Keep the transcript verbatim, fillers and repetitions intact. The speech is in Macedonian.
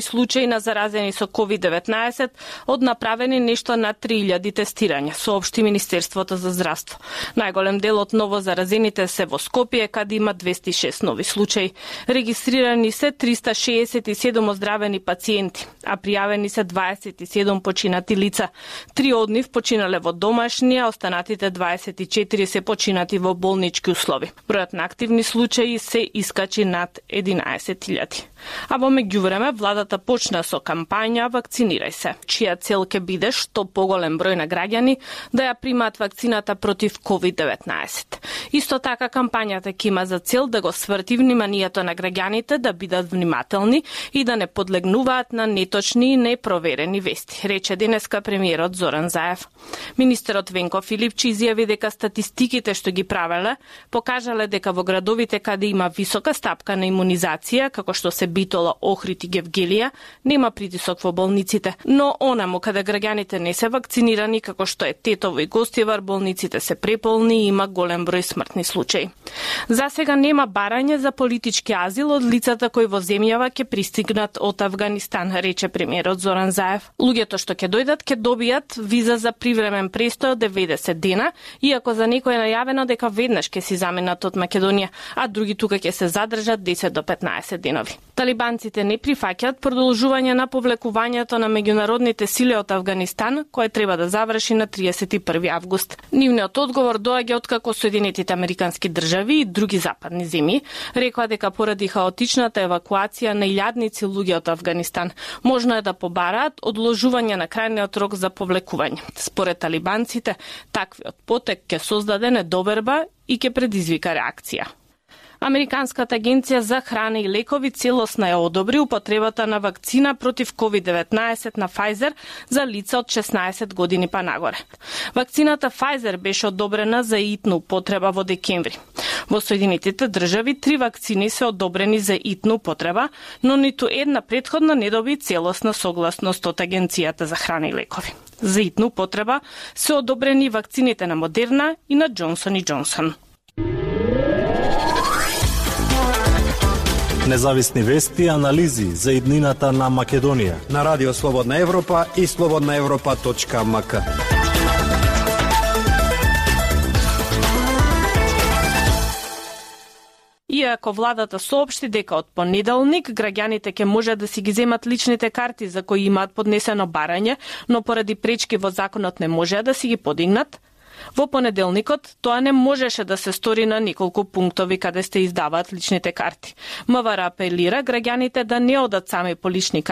случаи на заразени со ковид деветнаесет од направени нешто над три илјади тестирања, соопшти Министерството за здравство. Најголем дел од ново заразените се во Скопје, каде има двесте и шест нови случаи. Регистрирани се триста шеесет и седум оздравени пациенти, а пријавени се дваесет и седум починати лица. Три од нив починале во домашни, а останатите дваесет и четири се починати во болнички услови. Бројот на активни случаи се искачи над единаесет илјади. А во меѓувреме, владата почна со кампања "Вакцинирај се", чија цел ќе биде што поголем број на граѓани да ја примаат вакцината против ковид деветнаесет. Исто така, кампањата ќе има за цел да го сврти вниманието на граѓаните да бидат внимателни и да не подлегнуваат на неточни и непроверени вести, рече денеска премиерот Зоран Заев. Министерот Венко Филипчи изјави дека статистиките што ги правеле покажале дека во градовите каде има висока стапка на имунизација, како што се Битола, Охрид и Гевгелија, нема притисок во болниците, но онаму каде граѓаните не се вакцинирани, како што е Тетово и Гостивар, болниците се преполни и има голем број смртни случаи. За сега нема барање за политички азил од лицата кои во земјава ќе пристигнат од Авганистан, рече премиерот Зоран Заев. Луѓето што ќе дојдат ќе добијат виза за привремен престој од деветдесет дена, иако за некој е најавено дека веднаш ќе си заменат од Македонија, а други тука ќе се задржат десет до петнаесет денови. Талибанците не прифаќаат продолжување на повлекувањето на меѓународните сили од Авганистан, кое треба да заврши на триесет и први август. Нивниот одговор доаѓа откако Соединетите Американски држави и други западни земји рекоа дека поради хаотичната евакуација на илјадници луѓе од Авганистан можно е да побараат одложување на крајниот рок за повлекување. Според талибанците, таквиот потек ќе создаде недоверба и ќе предизвика реакција. Американската агенција за храна и лекови целосно ја одобри употребата на вакцина против ковид деветнаесет на Pfizer за лица од шеснаесет години па нагоре. Вакцината Pfizer беше одобрена за итна употреба во декември. Во Соединетите држави три вакцини се одобрени за итна употреба, но ниту една претходна не доби целосна согласност од Агенцијата за храна и лекови. За итна употреба се одобрени вакцините на Модерна и на Джонсон и Джонсон. Независни вести и анализи за иднината на Македонија на Радио Слободна Европа и слободна европа точка ем ка. Иако владата соопшти дека од понеделник граѓаните ќе можат да си ги земат личните карти за кои имаат поднесено барање, но поради пречки во законот не можеа да си ги подигнат, во понеделникот тоа не можеше да се стори на неколку пунктови каде се издаваат личните карти. МВР апелира граѓаните да не одат сами по лични карти